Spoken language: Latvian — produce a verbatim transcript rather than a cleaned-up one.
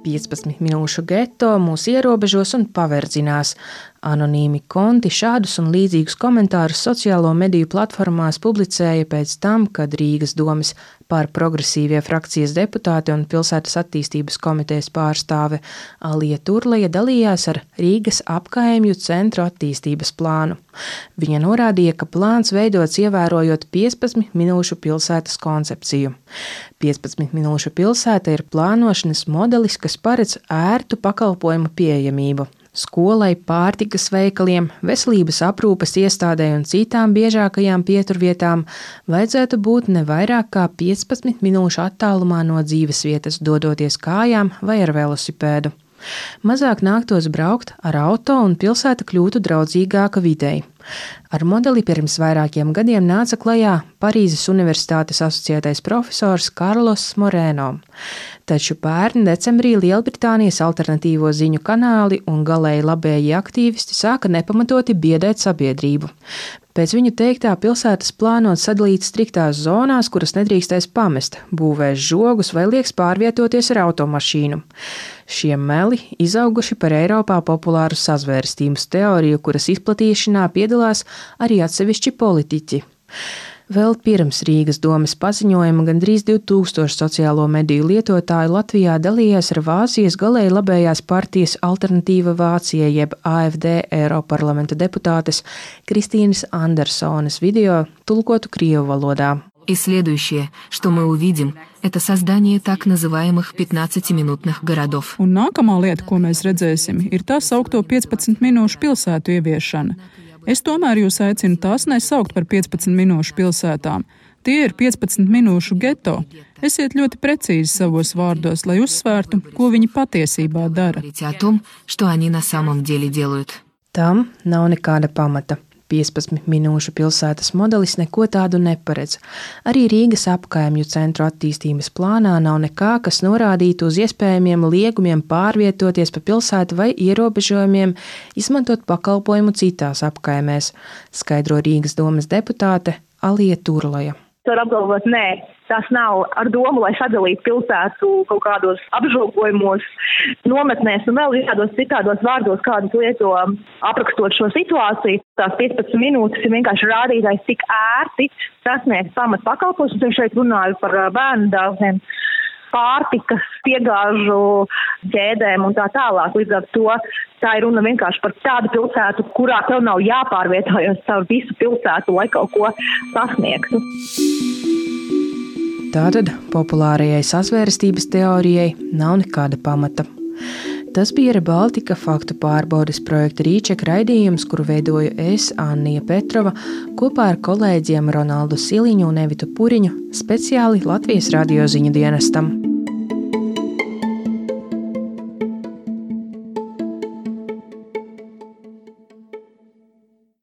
piecpadsmit minūšu geto mūs ierobežos un paverdzinās. Anonīmi konti šādus un līdzīgus komentārus sociālo mediju platformās publicēja pēc tam, kad Rīgas domes par progresīvie frakcijas deputāte un pilsētas attīstības komitejas pārstāve Alija Turleja dalījās ar Rīgas apkaimju centru attīstības plānu. Viņa norādīja, ka plāns veidots ievērojot piecpadsmit minūšu pilsētas koncepciju. piecpadsmit minūšu pilsēta ir plānošanas modelis, kas paredz ērtu pakalpojumu pieejamību. Skolai, pārtikas veikaliem, veselības aprūpes iestādē un citām biežākajām pieturvietām vajadzētu būt ne vairāk kā piecpadsmit minūšu attālumā no dzīvesvietas, dodoties kājām vai ar velosipēdu. Mazāk nāktos braukt ar auto un pilsēta kļūtu draudzīgāka videi. Ar modeli pirms vairākiem gadiem nāca klajā Parīzes Universitātes asociētais profesors Karlos Moreno. Taču pērn decembrī Lielbritānijas alternatīvo ziņu kanāli un galēji labēji aktīvisti sāka nepamatoti biedēt sabiedrību. Pēc viņu teiktā pilsētas plānot sadalīt striktās zonās, kuras nedrīkstēs pamest, būvēs žogus vai lieks pārvietoties ar automašīnu. Šie meli izauguši par Eiropā populāru sazvērstības teoriju, kuras izplatīšanā piedalās arī atsevišķi politiķi. Vēl pirms Rīgas domes paziņojuma gandrīz divi tūkstoši sociālo mediju lietotāju Latvijā dalījās ar Vācijas galēji labējās partijas Alternatīva Vācija jeb A F D Eiroparlamenta deputātes Kristīnas Andersones video tulkotu krievu valodā. И следующее, что мы увидим, это создание так называемых пятнадцатиминутных городов. Un nākamā lieta, ko mēs redzēsim, ir tā saukto piecpadsmit minūšu pilsētu ieviešana. Es tomēr jūs aicinu tās nesaukt par piecpadsmit minūšu pilsētām. Tie ir piecpadsmit minūšu geto. Esiet ļoti precīzi savos vārdos, lai uzsvērtu, ko viņi patiesībā dara. Tam nav nekāda pamata. piecpadsmit minūšu pilsētas modelis neko tādu neparedz. Arī Rīgas apkaimju centru attīstības plānā nav nekā, kas norādītu uz iespējamiem liegumiem pārvietoties pa pilsētu vai ierobežojumiem izmantot pakalpojumu citās apkaimēs, skaidro Rīgas domes deputāte Alija Turleja. Var apgalvot, nē, tas nav ar domu, lai sadalītu pilsētu kaut kādos apžogojumos, nometnēs un vēl kādos citādos vārdos, kādus lieto aprakstot šo situāciju. Tās piecpadsmit minūtes ir vienkārši rādītājs, cik ērti sasniegt pamat pakalpojumus. Es šeit runāju par bērnu dārziem, pārtikas, piegāžu ķēdēm un tā tālāk. Līdz ar to tā ir runa vienkārši par tādu pilsētu, kurā tev nav jāpārvietojas caur visu pilsētu, lai kaut ko sasniegtu. Tātad populārajai sazvērstības teorijai nav nekāda pamata. Tas bija Rebaltika faktu pārbaudes projekta Rīčeka raidījums, kuru veidoju es, Annija Petrova, kopā ar kolēģiem Ronaldu Siliņu un Evitu Puriņu, speciāli Latvijas radio ziņu dienestam.